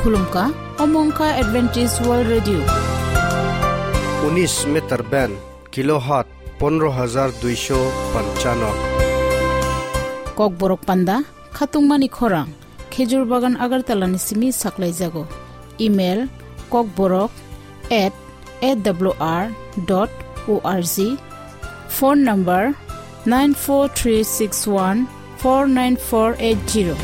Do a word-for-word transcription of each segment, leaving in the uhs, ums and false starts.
Khulumkha, omo wngkha Adventist World Radio. Unis meter band, kilohertz pondro hajar duisho panchano. Kokborok panda, khatungmani khorang, Khejur Bagan Agartala ni simi saklaijago. Email, kokborok at A W R dot O R G. Phone number nine four three six one four nine four eight zero.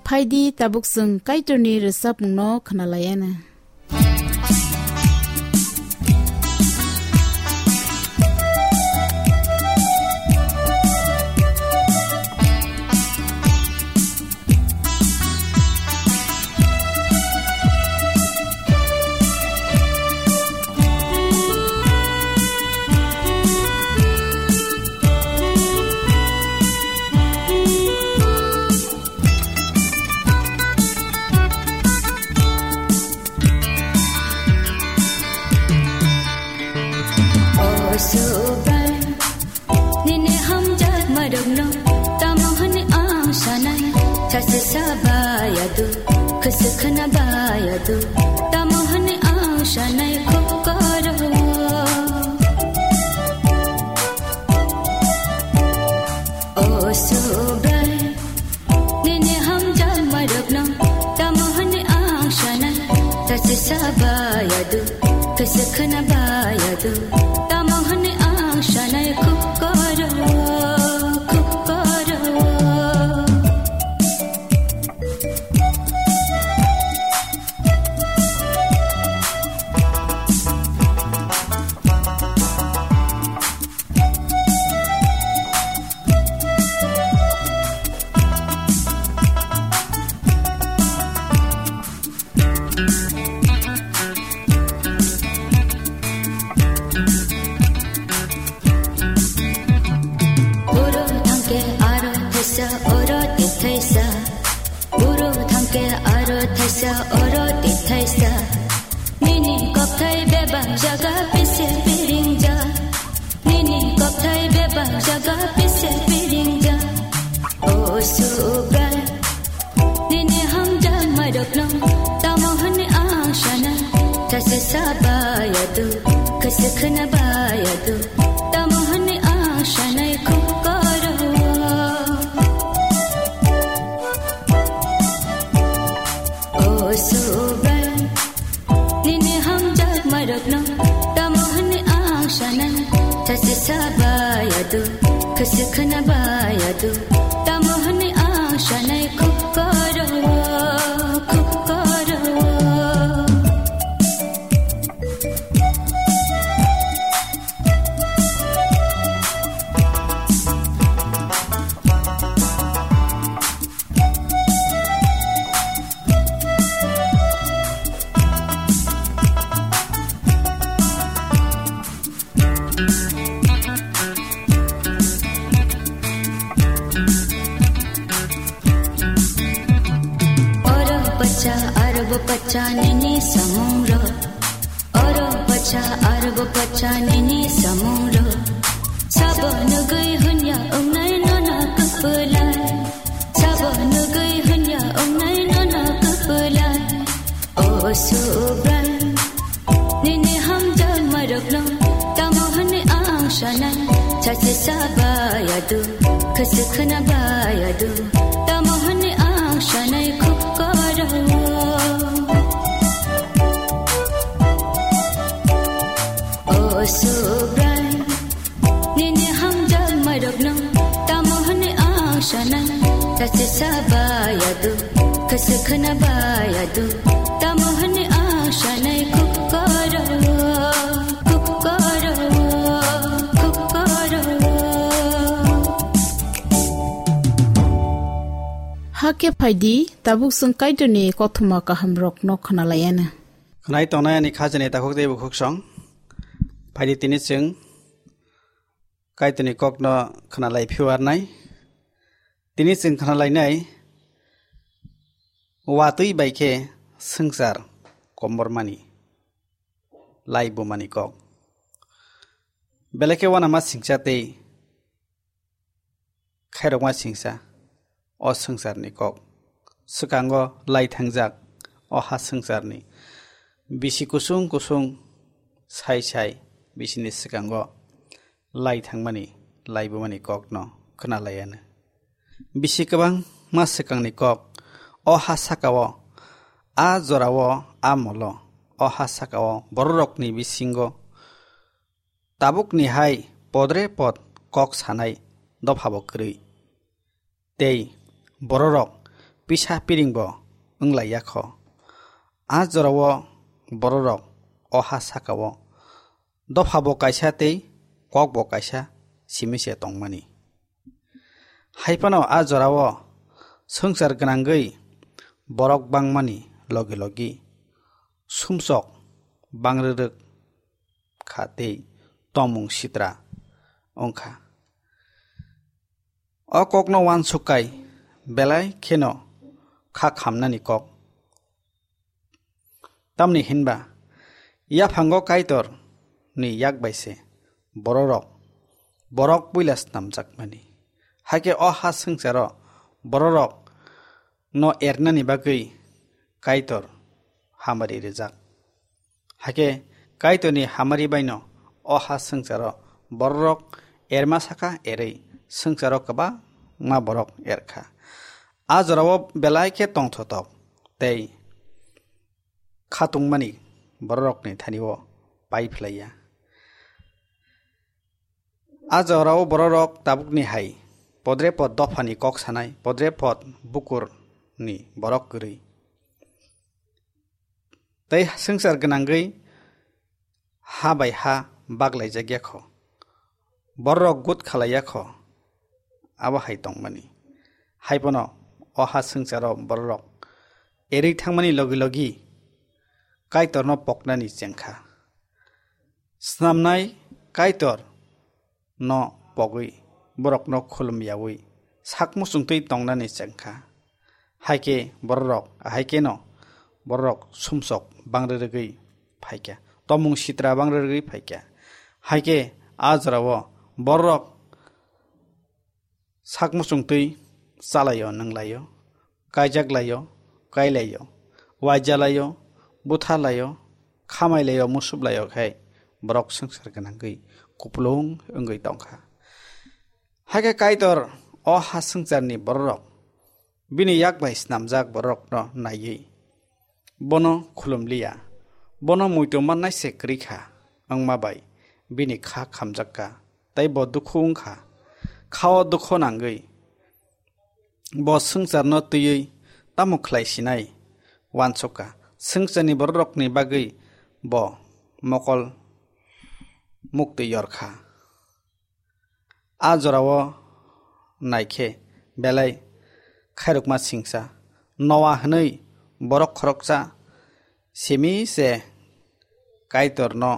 Phaidi tabuk chwng Kaitorni rwchapmungno khwnalaiana. O Subrai, nini hamjakmarokno tamo hwnwi ang sanai? Sachi sa baya du, khwswk khwna baya du, tamo hwnwi ang sanai khuk koro. O Subrai, nini hamjakmarokno tamo hwnwi ang sanai? Sachi sa baya du, khwswk khwna baya du, tamo hwnwi ang sanai khuk koro, khuk koro. Oro thangke aro thaisa, oro tithaisa. Oro thangke aro thaisa, oro tithaisa. Nini kokthai bebak jaga pise piringjak. Nini kokthai bebak jaga pise piringjak. O Subrai, nini hamjakmarokno tamo hwnwi ang sanai? Sachi sa baya du, khwswk khwna baya du, tamo hwnwi ang sanai khuk koro. O Subrai, nini hamjakmarokno tamo hwnwi ang sanai? Sachi sa baya du, khwswk khwna baya du, tamo hwnwi ang sanai khuk koro, khuk koro. Oro pacha, aro bo pacha, nini samungrok. Oro pacha, aro bo pacha, nini samungrok. Sabo nugwi hwnya wngnai nono kwpwlai. Sabo nugwi hwnya wngnai nono kwpwlai. O Subrai, nini hamjakmarokno tamo hwnwi ang sanai? Sachi sa baya du, khwswk khwna baya du, tamo hwnwi ang sanai khuk koro. O Subrai, nini hamjakmarokno tamo hwnwi ang sanai? Sachi sa baya du, khwswk khwna baya du, tamo hwnwi ang sanai khuk koro, khuk koro, khuk koro. Hakhe phaidi, tabuk chwng Kaitorni kothoma kahamrokno khwnalaiana. Khwnai tongnai ani khajani takhuk tei bukhuk song. Phaidi tini chwng Kaitorni kokno khwnalai phiu arnai. Tini chwng khwnalainai Watwi bai khe swngchar komormani, lai bumani kok. Belai khe uanama singcha tei khairokma singcha o swngcharni kok. Swkango lai thangjak o ha swngcharni bisi kusung kusung sai sai bisini swkango lai thangmani, lai bumani kokno khwnalaiano. Bisi kwbangma swkangni kok o ha sakao, a jorao, a molo, o ha sakao bororokni bisingo tabukni hai podre pod kok sanai dophabo kwrwi. Tei bororok pisa piringbo wnglaiyakho. A jorao bororok o ha sakao dophabo kaisa tei kokbo kaisa simi se tongmani. Hai phano a jorao swngchar gwnangwi borok bangmani logi logi sumsok bangrwrwk kha tei tongmung sitra wngkha. O kokno uansuk kai belai kheno kha khamnani kok. Tamni hinba yaphango Kaitor ni yak bai se bororok, borok puila snamjakmani. Hakhe o ha swngcharo bororok no ernani bagwi Kaitor hamari rijak. Hakhe Kaitorni hamari baino o ha swngcharo bororok erma saka erwi swngcharo kwbangma borok erkha. A jorao belai khe tongthotok tei khatungmani bororokni thanio pai phlaiya. A jorao bororok tabukni hai podre pod dophani kok sanai, podre pod bukurni borok kwrwi. Tei swngchar gwnangwi ha bai ha baglaijak ya kho. Bororok gut khalai ya kho. Abo hai tongmani. Hai phano o ha swngcharo bororok erwi thangmani logi logi Kaitorno poknani chengkha. Snamnai Kaitor no pogwi borokno khulum yaui sak muchungtwi tongnani chengkha. Haikhe bororok, haikhe no bororok sumsok bangrwrwgwi phaikha, tomung sitra bangrwrwgwi phaikha. Haikhe a jorao bororok sak muchungtwi chalaio, nwnglaio, kaijak laio, kailaio, waijalaio, butharlaio, khamailaio, musuplaio khai borok swngchar gwnangwi kupulung wngwi tongkha. Hakhe Kaitor o ha swngcharni bororok bini yak bai snamjak bororokno naiwi bono khulumliya, bono muitu mannai se kwrwi kha, wngma bai bini kha khamjak kha, tei bo dukhu wng kha, khao dukhu nangwi. Bo swngcharno twiwi tamo khlai sinai uansuk kha, swngcharni bororokni bagwi bo mokol muktwi yor kha. A jorao naikhe belai khairokma singsa Noa hwnwi borok khoroksa simi se Kaitorno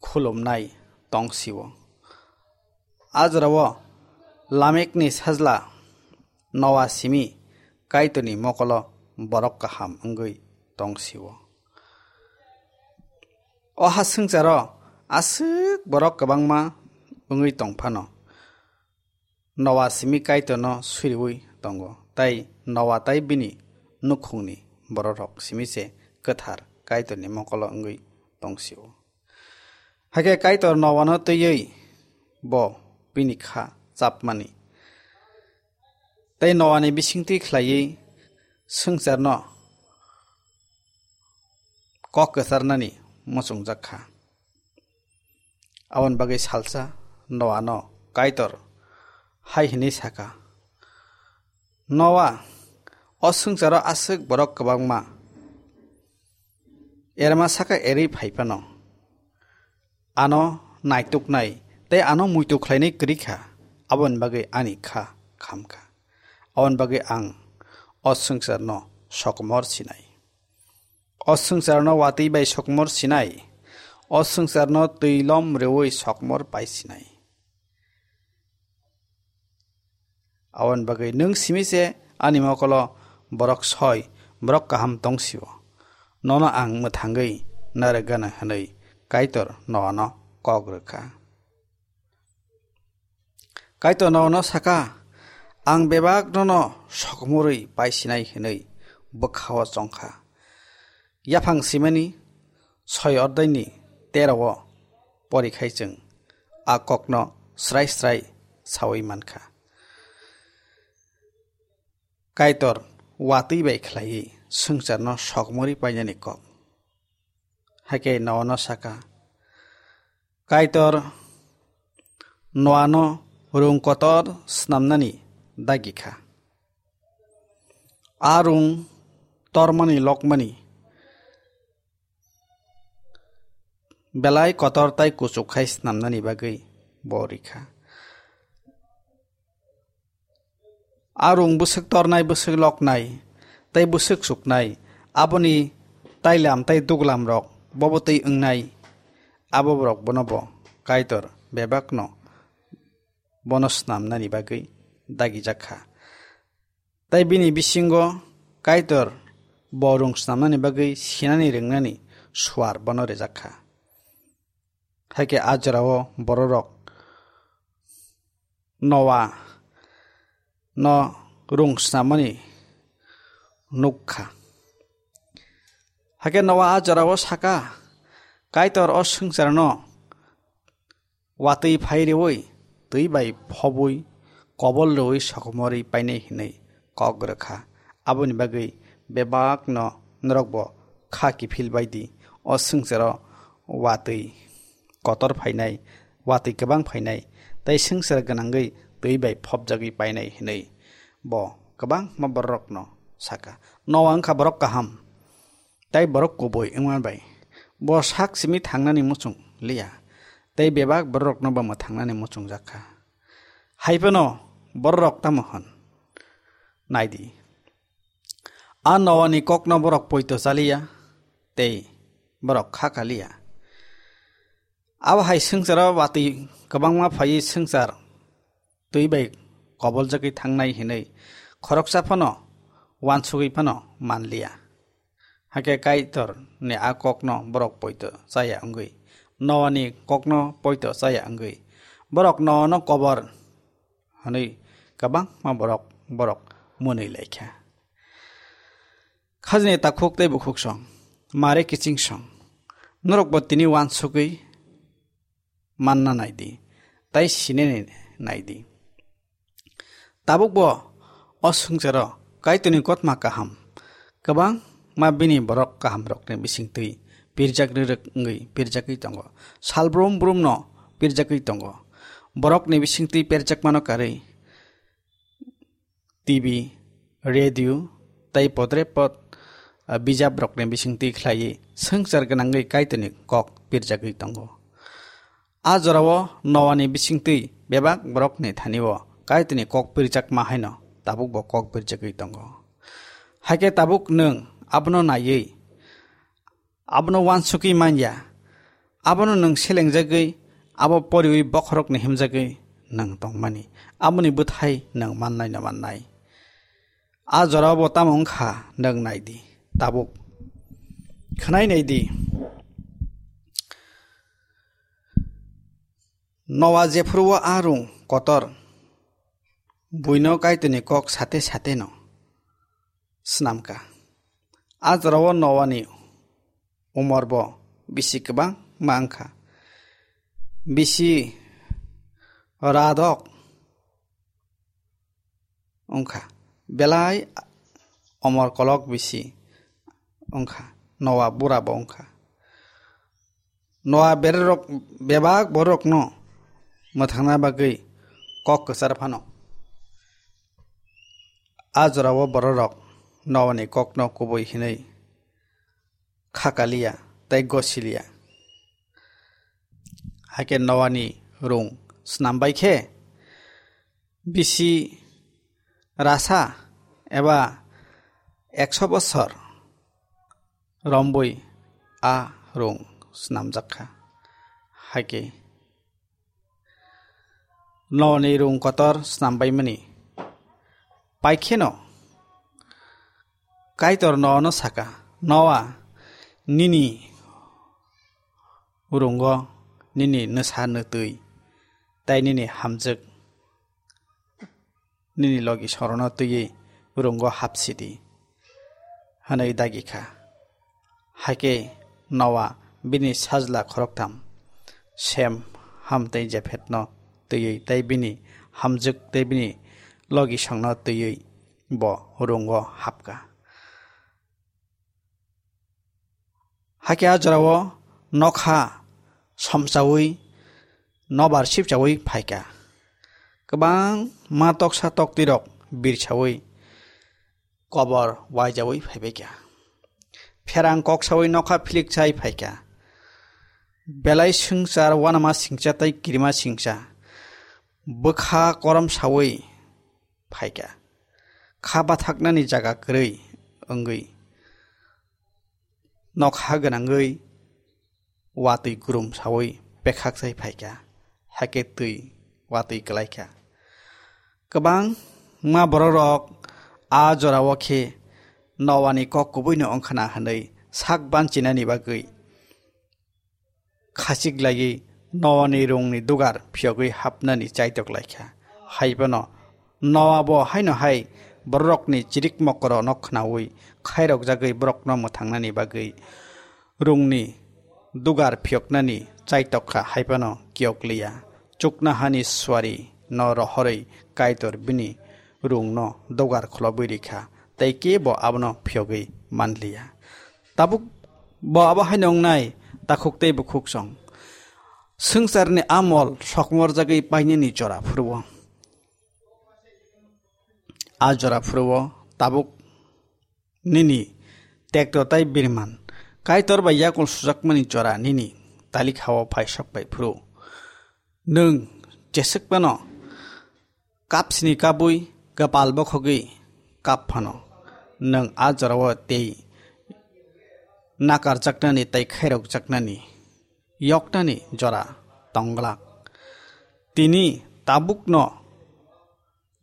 khulumnai tong sio. A jorao Lamekni sajla Noa simi Kaitorni mokolo borok kaham wngwi tong sio. O ha swngcharo aswk borok kwbangma wngwi tong phano, Noa simi Kaitorno suriui tongo, tei Noa tei bini nukhungni bororok simi se kwthar Kaitorni mokolo wngwi tong sio. Hakhe Kaitor Noano twiwi bo bini kha chapmani tei Noani bisingtwi khlaiwi swngcharno kok kwcharnani muchungjak kha. Aboni bagwi salsa Noano Kaitor hai hwnwi saka, "Noa, o swngcharo aswk borok kwbangma, erma saka erwi phai phano, ano naituknai tei ano muitu khlainai kwrwi kha, aboni bagwi ani kha kham kha. Aboni bagwi ang o swngcharno sokomor sinai. O swngcharno watwi bai sokomor sinai, o swngcharno twi lom rwui sokomor pai sinai. Aboni bagwi nwng simi se ani mokolo borok soi, borok kaham tong sio. Nono ang mwthangwi narwk gana hwnwi Kaitor Noano kok rwkha. Kaitor Noano saka, "Ang bebak nono sokomorwi paisinai," hwnwi bwkhao chongkha. Yaphang simani soi ordaini terao porikhai chwng a kokno srai srai sawi mankha. Kaitor watwi bai khlaiwi swngcharno sokomorwi painani kok. Hakhe Noano saka, Kaitor Noano rung kotor snamnani dagi kha. A rung tormani lokmani belai kotor tai kuchuk khai snamnani bagwi bo rikha. A rung bwswk tornai, bwswk loknai, tei bwswk suknai, aboni tailam tei duglam rok bobo twi wngnai, abo borok bono bo Kaitor bebakno bono snamnani bagwi dagijak kha. Tei bini bisingo Kaitor bo rung snamnani bagwi sinani rwngnani suar bono rijak kha. Hakhe a jorao bororok Noa no rung snamani nuk kha. Hakhe Noa a jorao saka, Kaitor o swngcharno watwi phai rwui, twi bai phobwi, kobol rwui sokomorwi painai hwnwi kok rwkha. Aboni bagwi bebakno norokbo kha kiphil bai di, o swngcharo watwi kotor phainai, watwi kwbang phainai, tei swngchar gwnangwi twi bai phobjagwi painai hwnwi bo kwbangma bororokno saka. Noa wngkha borok kaham, tei borok kubui wngma bai bo sak simi thangnani muchung liya, tei bebak bororokno bo mwthangnani muchungjak kha. Hai phano bororok tamo hwn? Nai di, a Noani kokno borok poito cha liya, tei borok kha ka liya. Abo hai swngcharo watwi kwbangma phaiwi swngchar twi bai koboljagwi thangnai hwnwi khoroksa phano wansugwi phano man liya. Hakhe Kaitor ni a kokno borok poito chaya wngwi, Noani kokno poito chaya wngwi, borok Noano kobor hwnwi kwbangma borok, borok mwnwi laikha. Khajni takhuk tei bukhuk song, mare kiching song, norokbo tini wansugwi manna nai di, tei sinini nai di. Tabukbo o swngcharo Kaitorni kotma kaham, kwbangma bini borok kahamrokni bisingtwi pirjak rwrwk wngwi pirjagwi tongo. Sal brum brumno pirjagwi tongo. Borokni bisingtwi pirjakmano karwi T V, radio, tei podre pod, ah, bijabrokni bisingtwi khlaiwi swngchar gwnangwi Kaitorni kok pirjagwi tongo. A jorao Noani bisingtwi bebak borokni thani-o Kaitorni kok pirjakma haino tabukbo kok pirjagwi tongo. Hakhe tabuk nwng abono naiwi abono wansugwi man ya, abono nwng selengjagwi, abo poriwi bokhorokni himjagwi nwng tongmani, aboni bwthai nwng mannaino mannai. A jorao bo tamo wngkha nwng nai di, tabuk khwnai nai di. Noa jephuru-o a rung kotor buino Kaitorni kok sate sateno snamkha. A jorao Noani umor bo bisi kwbangma wngkha. Bisi radok wngkha. Belai omor kolok bisi wngkha. Noa bura bo wngkha. Noa bererok bebak bororokno mwthangna bagwi kok kwchar phano. A jorao bororok Noani kokno kubui hinwi kha kaliya tei gosiliya. Hakhe Noani rung snam bai khe bisi rasa eba ekso bosor rombui a rung snamjak kha. Hakhe Noani rung kotor snam baimani. Paikheno Kaitor Noano saka, "Noa, nini rungo nini nwsa nwtwi tei nini hamjwk nini logi sorono twiwi rungo hapsidi," hwnwi dagi kha. Hakhe Noa bini sajla khoroktham, Sem, Ham tei Jephetno twiwi tei bini hamjwk tei bini logisongno twiwi bo rungo hapkha. Hakhe a jorao nokha somsaui nobar sipchaui phaikha. Kwbangma toksa toktwirok birsaui kobor waijaui phaibaikha. Pherang kok saui nokha philik chai phaikha. Belai swngchar uanama singcha tei kirima singcha bwkha korom saui phaikha. Kha bathaknani jaga kwrwi wngwi nokha gwnangwi watwi kurum saui pekhak chai phaikha, hakhe twi watwi kwlaikha. Kwbangma bororok a jorao khe Noani kok kubuino wngkhana hwnwi sak banchinani bagwi khachik laiwi Noani rungni dugar phiyogwi hapnani chaitok laikha. Haiphano Noa bo haino hai bororokni chirik mokorono khnaui khairokjagwi borokno mwthangnani bagwi rungni dugar phiyoknani chaitok kha, haiphano kiyok liya. Chuknohani suari no rohorwi Kaitor bini rungno dugar kholobwi rikha, tei kebo abono phiyogwi manliya. Tabuk bo abo haino wngnai, takhuk tei bukhuk song. Swngcharni amol sokmorjagwi painani jora phuru-o. A jora phuru-o tabuk nini tekto tei birman Kaitor bai yakul sujakmani jora nini talikha-o phai sok bai phuru. Nwng jeswk phano kapsini kabui kwpal bokhogwi kap phano, nwng a jorao tei nakarjaknani tei khairokjaknani yoknani jora tongglak. Tini tabukno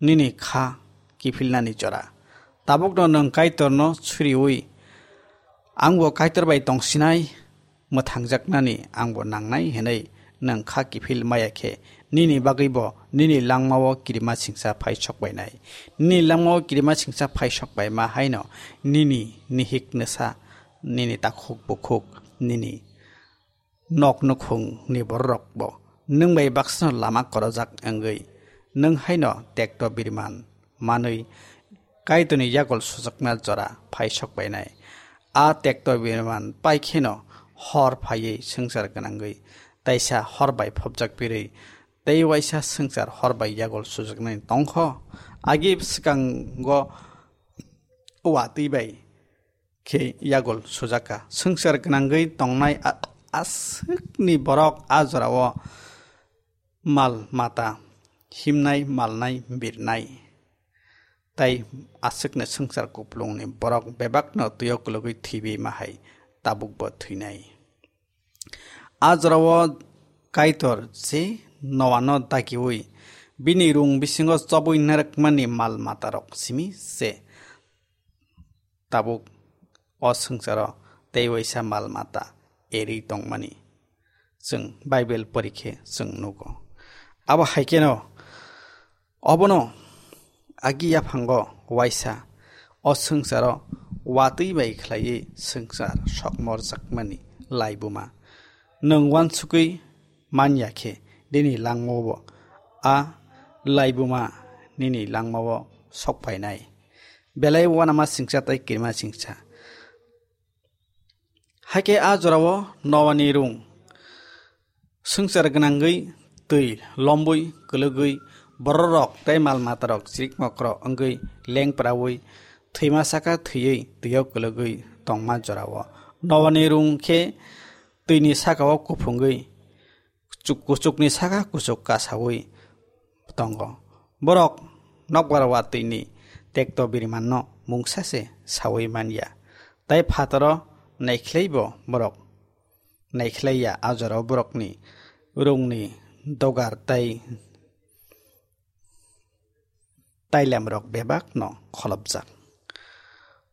nini kha kiphilnani jora. Tabukno nwng Kaitorno suriui, "Angbo Kaitor bai tongsinai, mwthangjaknani angbo nangnai," hwnwi nwng kha kiphil maya khe, nini bagwibo nini langmao kirima singsa phai sok bainai. Nini langmao kirima singsa phai sok baima haino nini nihik nwsa, nini takhuk bukhuk, nini nok nukhungni bororokbo nwng bai baksano lama korojak wngwi, nwng haino tekto birman manwi Kaitorni yagol sujakna jora phai sok bainai. A tekto birman pai kheno hor phaiwi swngchar gwnangwi, taisa hor bai phobjak birwi, tei waisa swngchar hor bai yagol sujaknai tongkho. Agi swkango watwi bai khe yagol sujaka. Swngchar gwnangwi tongnai a-, aswkni borok a jorao mal mata himnai, malnai, birnai. Tai aswkni swngchar kuplungni borok bebakno twio kwlwgwi thwibi mahai tabukbo thwinai. A jorao Kaitor je Noano dagiui bini rung bisingo chobui narwkmani mal matarok simi se tabuk o swngcharo tei waisa mal mata erwi tongmani chwng Bible porikhe chwng nugo. Abo hai kheno obono agi yaphango waisa o swngcharo watwi bai khlaiwi swngchar sokmorjakmani laibuma nwng uansugwi man ya khe, nini langmao a laibuma nini langmao sok phainai. Belai uanama singcha tei kirima singcha. Hakhe a jorao Noani rung swngchar gwnangwi twi lombwi kwlwgwi bororok tei mal matarok chirik mokrok wngwi lengpraui thwima saka thwiwi twio kwlwgwi tongma jorao Noani rung khe twini sakao kuphungwi kuchuk-, kuchukni saka kuchuk kasaui tongo. Borok nokbar watwini tekto birimanno mungsa se saui man ya. Tai phataro naikhlaibo borok naikhlai ya, a jorao borokni rungni dogar tai tailemrok bebakno kholopjak.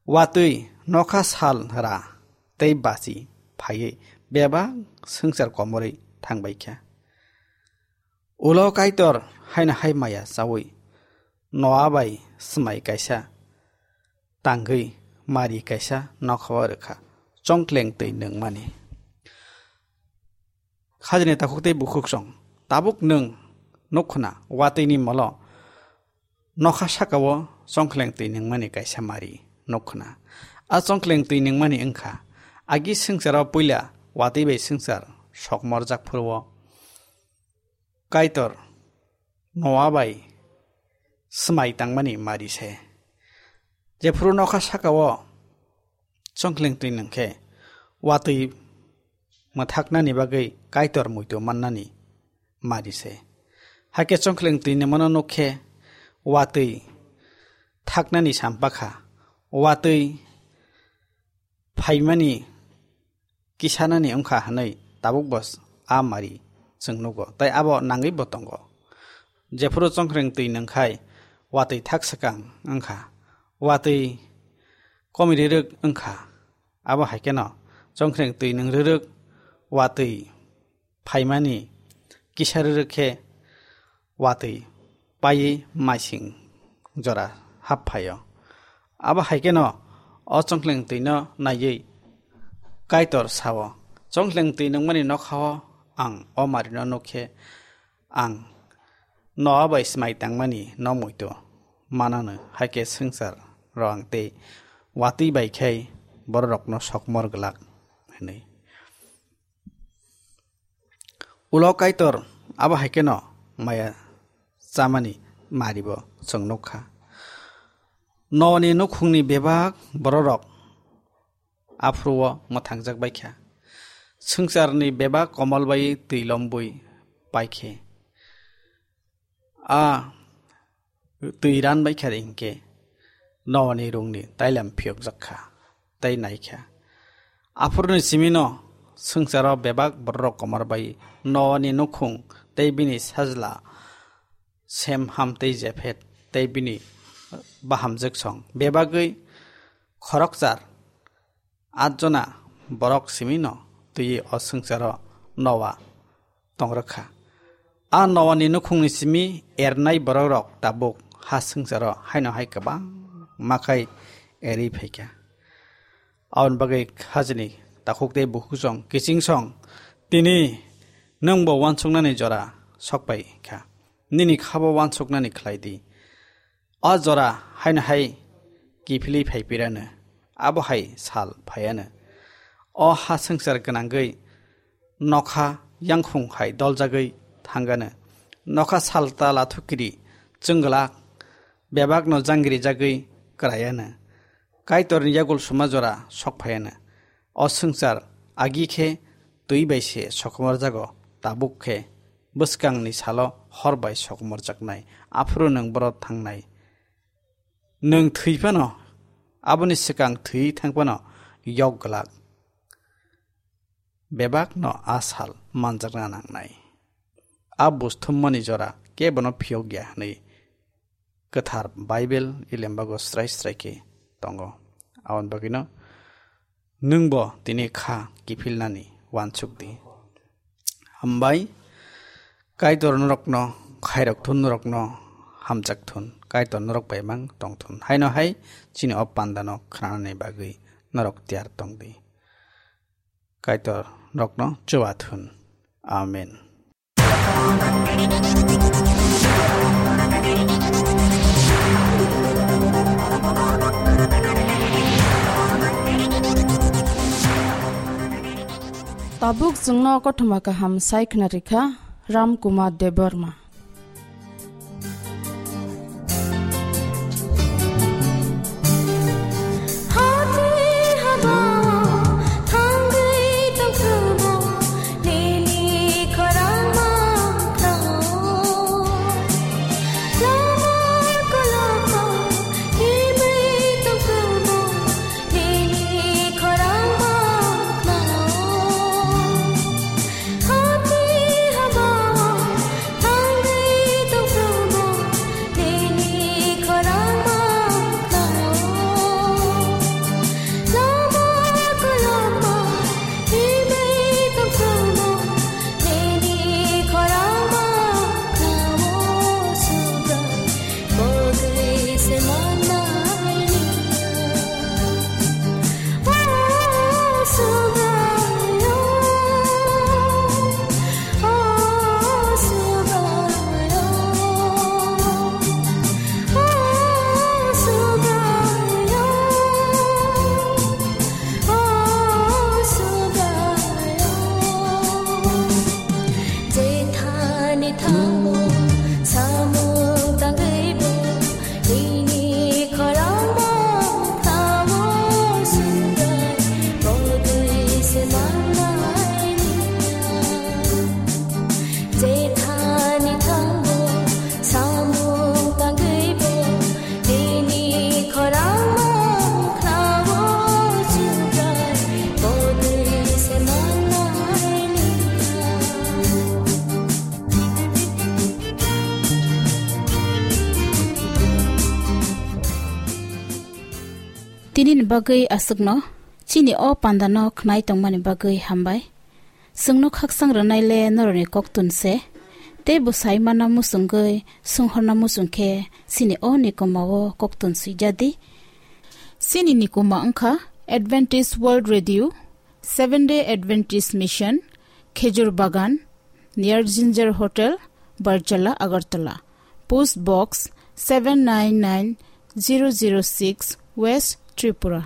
Watwi nokha sal ra tei bachi phaiwi bebak swngchar komorwi thangbai kha. Ulo Kaitor haino hai maya chawi Noa bai swmai kaisa tangwi mari kaisa nokhao rwkha, chongkleng twi nungmani. Khajini takhuk tei bukhuk song, tabuk nwng nukhuna watwini molo nokha sakao chongkleng twi nungmani kaisa mari nukhuna. A chongkleng twi nungmani wngkha, agi swngcharo puila watwi bai swngchar sokmorjak phuru-o Kaitor Noa bai swmai tangmani mari se. Jephuru nokha sakao chongkleng twi nungkhe watwi mwthaknani bagwi Kaitor muitu mannani mari se. Hakhe chongkleng twi nungmano nukkhe watwi thaknani sampakha, watwi phaimani kisanani wngkha hwnwi tabukbo a mari chwng nugo, tei abo nangwibo tongo. Jephuru chongkleng twi nungkhai watwi thak swkang wngkha, watwi komi rwrwk wngkha, abo hai kheno chongkleng twi nung rwrwk watwi phaimani kisa rwrwk khe watwi paiwi maising jora hap phaio. Abo hai kheno o chongkleng twino naiwi Kaitor sao, "Chongkleng twi nungmani nokhao ang o marino nukkhe ang Noa bai swmai tangmani no muitu manano, hai khe swngchar rwang tei watwi bai khai bororokno sokmor glak," hwnwi. Ulo Kaitor abo hai kheno maya chamani maribo chwng nukha. Noani nukhungni bebak bororok aphuru-o mwthangjak bai kha. Swngcharni bebak komol bai twi lombwi pai khe. A twi ran bai kha hinkhe Noani rungni tailam phiyokjak kha tei nai kha. Aphuruni simino swngcharo bebak bororok komor bai Noani nukhung tei bini sajla Sem, Ham tei Jephet tei bini bahamjwksong bebagwi khorokchar Atjona borok simino twiwi o swngcharo Noa tong rwkha. A Noani nukhungni simi ernai borokrok tabuk ha swngcharo haino hai kwbangma khai erwi phaikha. Aboni bagwi hajini takhuk tei bukhuksong kichingsong tini nwngbo uansuknani jora sokpai kha. Nini khabo uansuknani khlai di. O jora haino hai kiphilwi phai pirano, abo hai sal phaiano. O ha swngchar gwnangwi nokha yangkhung hai doljagwi thangano. Nokha sal ta lathukiri chwngwlak bebakno jangrijagwi kwraiano. Kaitorni yagul suma jora sok phaiano. O swngchar agi khe twi bai se sokomorjago, tabuk khe bwskangni salo hor bai sokomorjaknai, aphuru nwng boro thangnai. Nwng thwi phano, aboni swkang thwi thang phano yok glak. Bebakno a sal manjakna nangnai. A buj thummani jora kebono phiyok ya hwnwi Kwthar Baibel i lembago srai srai khe tongo. Aboni bagwino nwngbo tini kha kiphilnani uansuk di. Hambai, Kaitor norokno khairok thun, norokno hamjak thun, Kaitor norok bai mang tong thun. Haino hai chini o pandano khnanani bagwi norok tiyar tong di. Kaitor norokno chuba thun. Amen. Tabuk chwngno kothoma kaham sai khna rikha Ram Kumar Debbarma. Nini bagwi aswkno chini o pandano khnai tongmani bagwi hambai. Chwngno khaksang rwnaile norokni koktun se. Tei bwsai mana muchungwi swnghorna muchung khe chini o nikoma o koktun swijadi. Chini nikoma wngkha Adventist World Radio, Seventh Day Adventist Mission, Khejur Bagan, near Ginger Hotel, Barjala, Agartala. Post Box seven nine nine zero zero six, West Tripura.